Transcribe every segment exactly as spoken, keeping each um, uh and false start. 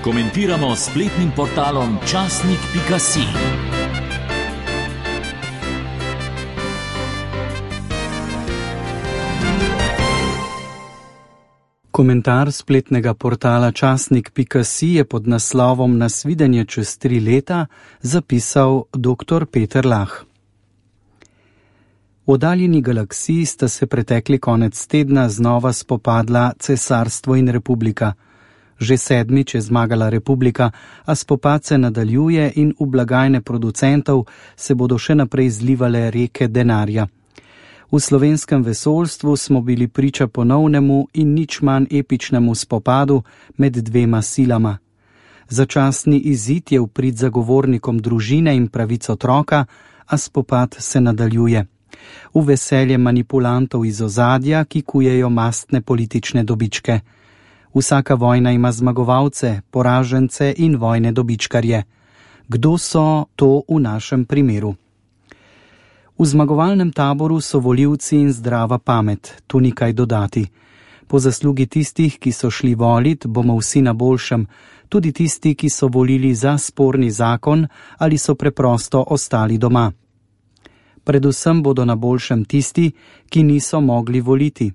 Komentiramo s spletnim portalom časnik pika si. Komentar spletnega portala časnik pika si je pod naslovom Nasvidenje čez tri leta zapisal doktor Peter Lah. V oddaljeni galaksiji sta se pretekli konec tedna znova spopadla cesarstvo in republika. Že sedmič je zmagala republika, a spopad se nadaljuje in v blagajne producentov se bodo še naprej zlivale reke denarja. V slovenskem vesoljstvu smo bili priča ponovnemu in nič manj epičnemu spopadu med dvema silama. Začasni izid je v prid zagovornikom družine in pravic otroka, a spopad se nadaljuje. V veselje manipulantov iz ozadja, ki kujejo mastne politične dobičke. Vsaka vojna ima zmagovalce, poražence in vojne dobičkarje. Kdo so to v našem primeru? V zmagovalnem taboru so volivci in zdrava pamet, tu ni kaj dodati. Po zaslugi tistih, ki so šli volit, bomo vsi na boljšem, tudi tisti, ki so volili za sporni zakon ali so preprosto ostali doma. Predvsem bodo na boljšem tisti, ki niso mogli voliti.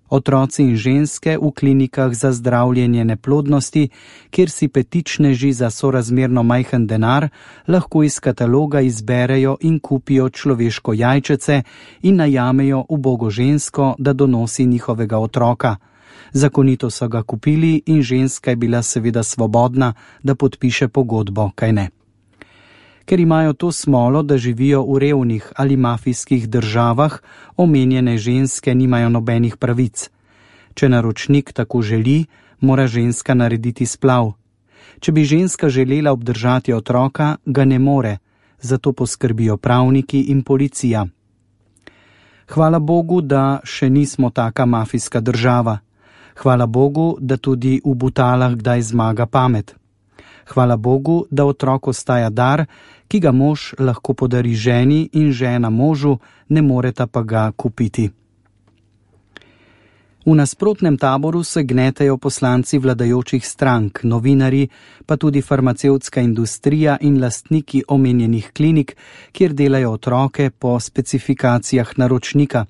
Otroci in ženske v klinikah za zdravljenje neplodnosti, kjer si petičneži za sorazmerno majhen denar lahko iz kataloga izberejo in kupijo človeško jajčece in najamejo ubogo žensko, da donosi njihovega otroka. Zakonito so ga kupili in ženska je bila seveda svobodna, da podpiše pogodbo, kaj ne. Ker imajo to smolo, da živijo v revnih ali mafijskih državah, omenjene ženske nimajo nobenih pravic. Če naročnik tako želi, mora ženska narediti splav. Če bi ženska želela obdržati otroka, ga ne more, zato poskrbijo pravniki in policija. Hvala Bogu, da še nismo taka mafijska država. Hvala Bogu, da tudi v butalah kdaj zmaga pamet. Hvala Bogu, da otrok ostaja dar, ki ga mož lahko podari ženi in žena možu, ne moreta pa ga kupiti. V nasprotnem taboru se gnetejo poslanci vladajočih strank, novinarji, pa tudi farmacevtska industrija in lastniki omenjenih klinik, kjer delajo otroke po specifikacijah naročnika.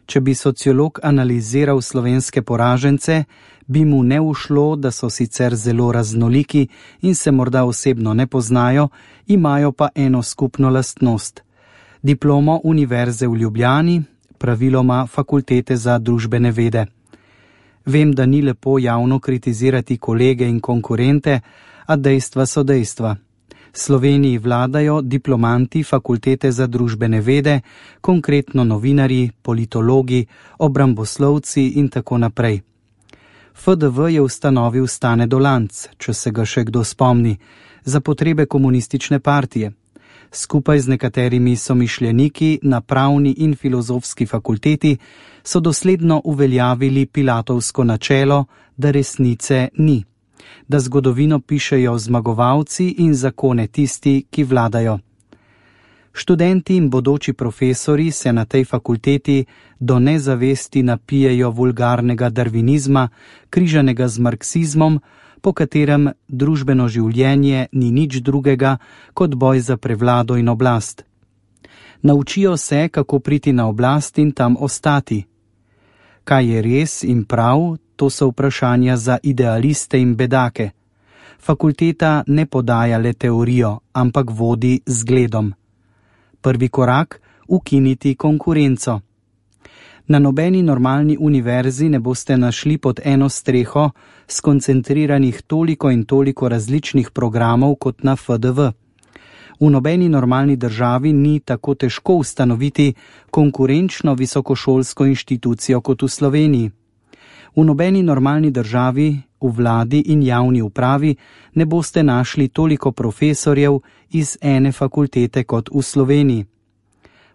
Če bi sociolog analiziral slovenske poražence, bi mu ne ušlo, da so sicer zelo raznoliki in se morda osebno ne poznajo, imajo pa eno skupno lastnost. Diplomo Univerze v Ljubljani, praviloma Fakultete za družbene vede. Vem, da ni lepo javno kritizirati kolege in konkurente, a dejstva so dejstva. Sloveniji vladajo diplomanti Fakultete za družbene vede, konkretno novinarji, politologi, obramboslovci in tako naprej. F D V je ustanovil Stane Dolanc, če se ga še kdo spomni, za potrebe komunistične partije. Skupaj z nekaterimi somišljeniki na pravni in filozofski fakulteti so dosledno uveljavili pilatovsko načelo, da resnice ni. Da zgodovino pišejo zmagovalci in zakone tisti, ki vladajo. Študenti in bodoči profesori se na tej fakulteti do nezavesti napijejo vulgarnega darvinizma, križanega z marksizmom, po katerem družbeno življenje ni nič drugega kot boj za prevlado in oblast. Naučijo se, kako priti na oblast in tam ostati. Kaj je res in prav, to so vprašanja za idealiste in bedake. Fakulteta ne podaja le teorijo, ampak vodi zgledom. Prvi korak – ukiniti konkurenco. Na nobeni normalni univerzi ne boste našli pod eno streho skoncentriranih toliko in toliko različnih programov kot na F D V. V nobeni normalni državi ni tako težko ustanoviti konkurenčno visokošolsko inštitucijo kot v Sloveniji. V nobeni normalni državi, v vladi in javni upravi ne boste našli toliko profesorjev iz ene fakultete kot v Sloveniji.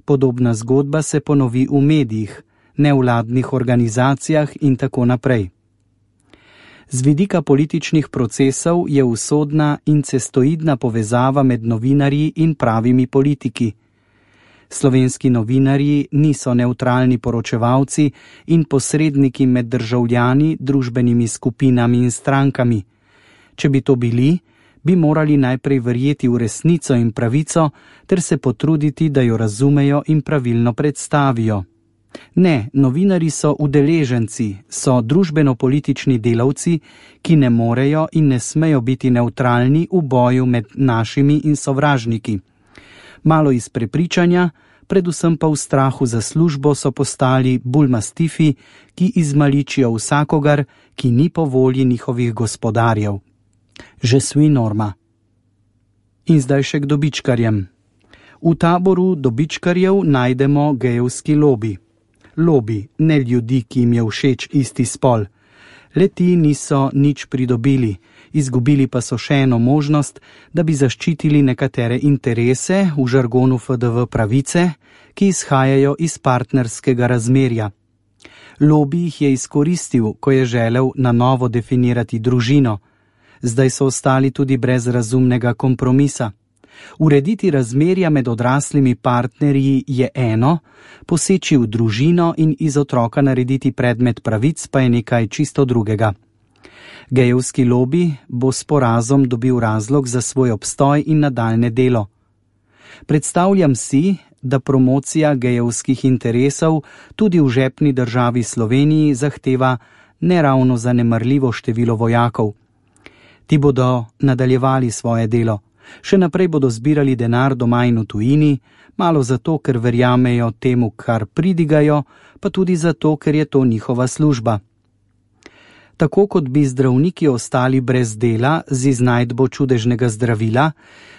Podobna zgodba se ponovi v medijih, nevladnih organizacijah in tako naprej. Z vidika političnih procesov je usodna incestoidna povezava med novinarji in pravimi politiki. Slovenski novinarji niso nevtralni poročevalci in posredniki med državljani, družbenimi skupinami in strankami. Če bi to bili, bi morali najprej verjeti v resnico in pravico ter se potruditi, da jo razumejo in pravilno predstavijo. Ne, novinarji so udeleženci, so družbeno-politični delavci, ki ne morejo in ne smejo biti nevtralni v boju med našimi in sovražniki. Malo iz prepričanja, predvsem pa v strahu za službo so postali bulmastifi, ki izmaličijo vsakogar, ki ni po volji njihovih gospodarjev. Je suis norma. In zdaj še k dobičkarjem. V taboru dobičkarjev najdemo gejevski lobi. Lobi, ne ljudi, ki jim je všeč isti spol. Le-ti niso nič pridobili, izgubili pa so še eno možnost, da bi zaščitili nekatere interese, v žargonu F D V pravice, ki izhajajo iz partnerskega razmerja. Lobi jih je izkoristil, ko je želel na novo definirati družino. Zdaj so ostali tudi brez razumnega kompromisa. Urediti razmerja med odraslimi partnerji je eno, poseči v družino in iz otroka narediti predmet pravic pa je nekaj čisto drugega. Gejevski lobi bo s porazom dobil razlog za svoj obstoj in nadaljne delo. Predstavljam si, da promocija gejevskih interesov tudi v žepni državi Sloveniji zahteva neravno zanemarljivo število vojakov. Ti bodo nadaljevali svoje delo. Še naprej bodo zbirali denar doma in v tujini, malo zato, ker verjamejo temu, kar pridigajo, pa tudi zato, ker je to njihova služba. Tako kot bi zdravniki ostali brez dela z iznajdbo čudežnega zdravila,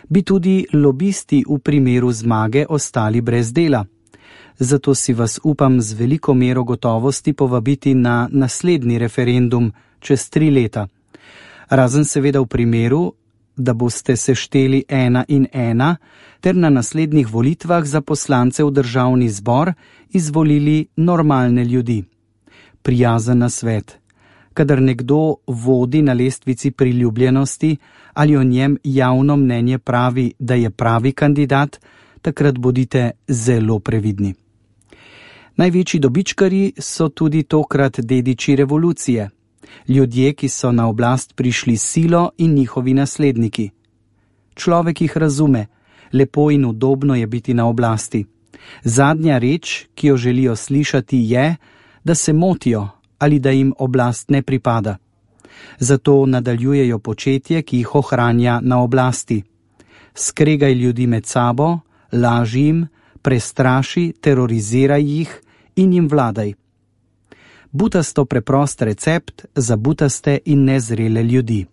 bi tudi lobisti v primeru zmage ostali brez dela. Zato si vas upam z veliko mero gotovosti povabiti na naslednji referendum čez tri leta. Razen seveda v primeru, da boste sešteli ena in ena, ter na naslednjih volitvah za poslance v državni zbor izvolili normalne ljudi. Prijazen nasvet. Kadar nekdo vodi na lestvici priljubljenosti ali o njem javno mnenje pravi, da je pravi kandidat, takrat bodite zelo previdni. Največji dobičkarji so tudi tokrat dediči revolucije. Ljudje, ki so na oblast prišli silo in njihovi nasledniki. Človek jih razume, lepo in udobno je biti na oblasti. Zadnja reč, ki jo želijo slišati, je, da se motijo ali da jim oblast ne pripada. Zato nadaljujejo početje, ki jih ohranja na oblasti. Skregaj ljudi med sabo, laži jim, prestraši, teroriziraj jih in jim vladaj. Butasto preprost recept za butaste in nezrele ljudi.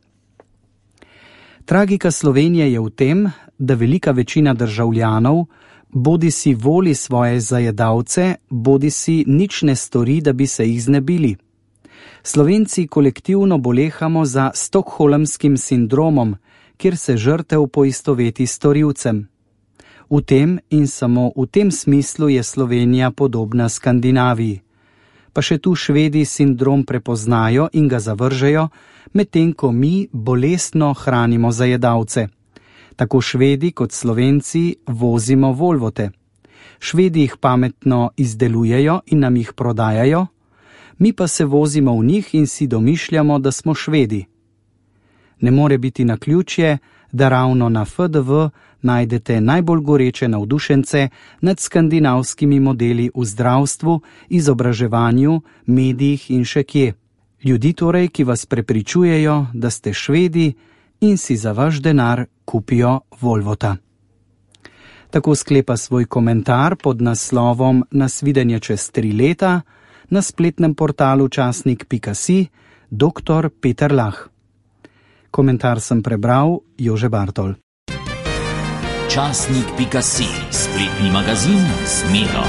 Tragika Slovenije je v tem, da velika večina državljanov bodi si voli svoje zajedavce, bodi si nič ne stori, da bi se jih znebili. Slovenci kolektivno bolehamo za stokholmskim sindromom, kjer se žrtev poistoveti s storilcem. V tem in samo v tem smislu je Slovenija podobna Skandinaviji. Pa še tu Švedi sindrom prepoznajo in ga zavržejo, medtem ko mi bolestno hranimo zajedavce. Tako Švedi kot Slovenci vozimo Volvote. Švedi jih pametno izdelujejo in nam jih prodajajo, mi pa se vozimo v njih in si domišljamo, da smo Švedi. Ne more biti naključje, da ravno na F D V najdete najbolj goreče navdušence nad skandinavskimi modeli v zdravstvu, izobraževanju, medijih in še kje. Ljudi torej, ki vas prepričujejo, da ste Švedi in si za vaš denar kupijo Volvota. Tako sklepa svoj komentar pod naslovom Nasvidenje čez tri leta na spletnem portalu časnik pika si doktor Peter Lah. Komentar sem prebral Jože Bartol. časnik pika si, spletni magazin z Medo.